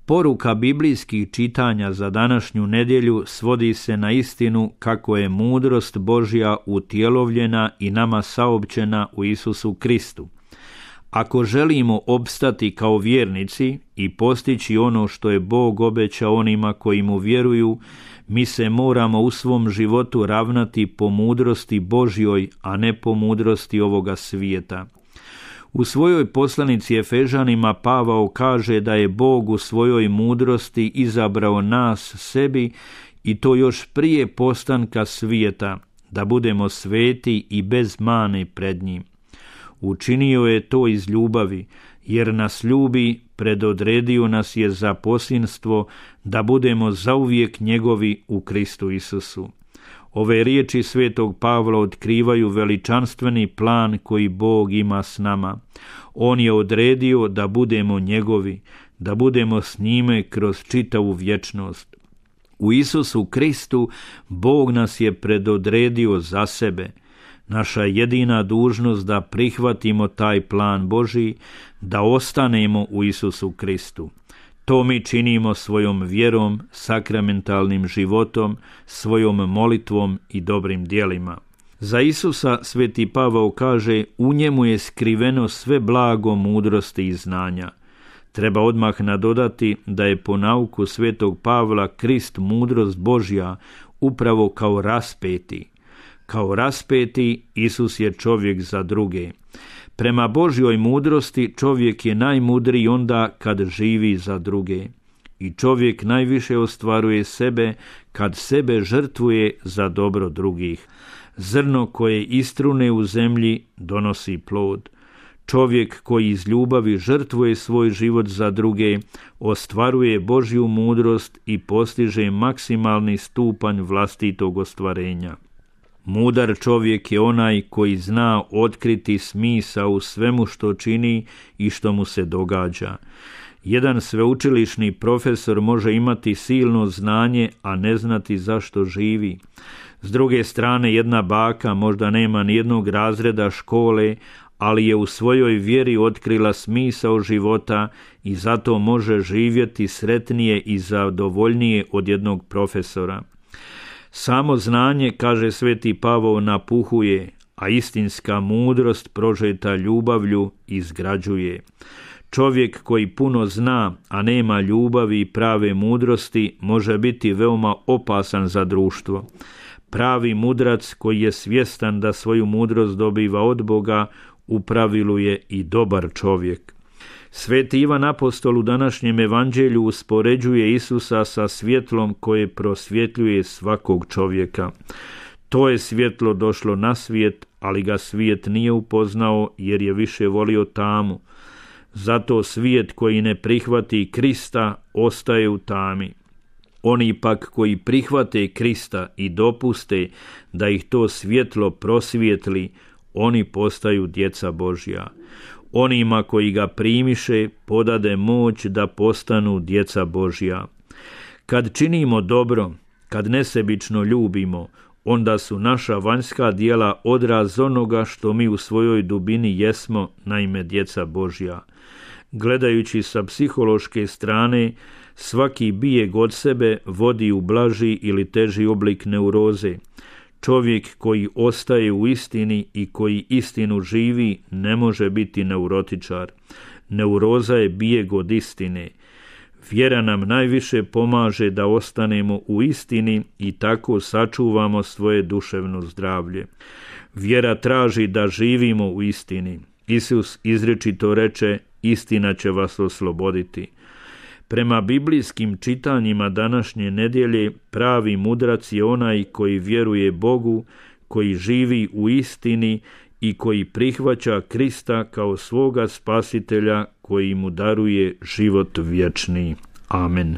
Poruka biblijskih čitanja za današnju nedjelju svodi se na istinu kako je mudrost Božja utjelovljena i nama saopćena u Isusu Kristu. Ako želimo opstati kao vjernici i postići ono što je Bog obećao onima koji mu vjeruju, mi se moramo u svom životu ravnati po mudrosti Božjoj, a ne po mudrosti ovoga svijeta. U svojoj poslanici Efežanima Pavao kaže da je Bog u svojoj mudrosti izabrao nas sebi i to još prije postanka svijeta, da budemo sveti i bez mane pred njim. Učinio je to iz ljubavi, jer nas ljubi, predodredio nas je za posinstvo, da budemo zauvijek njegovi u Kristu Isusu. Ove riječi svetog Pavla otkrivaju veličanstveni plan koji Bog ima s nama. On je odredio da budemo njegovi, da budemo s njime kroz čitavu vječnost. U Isusu Kristu Bog nas je predodredio za sebe. Naša jedina dužnost da prihvatimo taj plan Božji, da ostanemo u Isusu Kristu. To mi činimo svojom vjerom, sakramentalnim životom, svojom molitvom i dobrim djelima. Za Isusa sveti Pavao kaže: u njemu je skriveno sve blago mudrosti i znanja. Treba odmah nadodati da je po nauku svetog Pavla Krist mudrost Božja upravo kao raspeti. Kao raspeti Isus je čovjek za druge. Prema Božjoj mudrosti čovjek je najmudriji onda kad živi za druge. I čovjek najviše ostvaruje sebe kad sebe žrtvuje za dobro drugih. Zrno koje istrune u zemlji donosi plod. Čovjek koji iz ljubavi žrtvuje svoj život za druge, ostvaruje Božju mudrost i postiže maksimalni stupanj vlastitog ostvarenja. Mudar čovjek je onaj koji zna otkriti smisao u svemu što čini i što mu se događa. Jedan sveučilišni profesor može imati silno znanje, a ne znati zašto živi. S druge strane, jedna baka možda nema nijednog razreda škole, ali je u svojoj vjeri otkrila smisao života i zato može živjeti sretnije i zadovoljnije od jednog profesora. Samo znanje, kaže sveti Pavao, napuhuje, a istinska mudrost prožeta ljubavlju izgrađuje. Čovjek koji puno zna, a nema ljubavi i prave mudrosti, može biti veoma opasan za društvo. Pravi mudrac koji je svjestan da svoju mudrost dobiva od Boga, u pravilu je i dobar čovjek. Sveti Ivan Apostol u današnjem evanđelju uspoređuje Isusa sa svjetlom koje prosvjetljuje svakog čovjeka. To je svjetlo došlo na svijet, ali ga svijet nije upoznao jer je više volio tamu. Zato svijet koji ne prihvati Krista ostaje u tami. Oni pak koji prihvate Krista i dopuste da ih to svjetlo prosvijetli, oni postaju djeca Božja. Onima koji ga primiše podade moć da postanu djeca Božja. Kad činimo dobro, kad nesebično ljubimo, onda su naša vanjska djela odraz onoga što mi u svojoj dubini jesmo, naime djeca Božja. Gledajući sa psihološke strane, svaki bijeg od sebe vodi u blaži ili teži oblik neuroze. Čovjek koji ostaje u istini i koji istinu živi ne može biti neurotičar. Neuroza je bijeg od istine. Vjera nam najviše pomaže da ostanemo u istini i tako sačuvamo svoje duševno zdravlje. Vjera traži da živimo u istini. Isus izričito reče: istina će vas osloboditi. Prema biblijskim čitanjima današnje nedjelje, pravi mudrac je onaj koji vjeruje Bogu, koji živi u istini i koji prihvaća Krista kao svoga spasitelja koji mu daruje život vječni. Amen.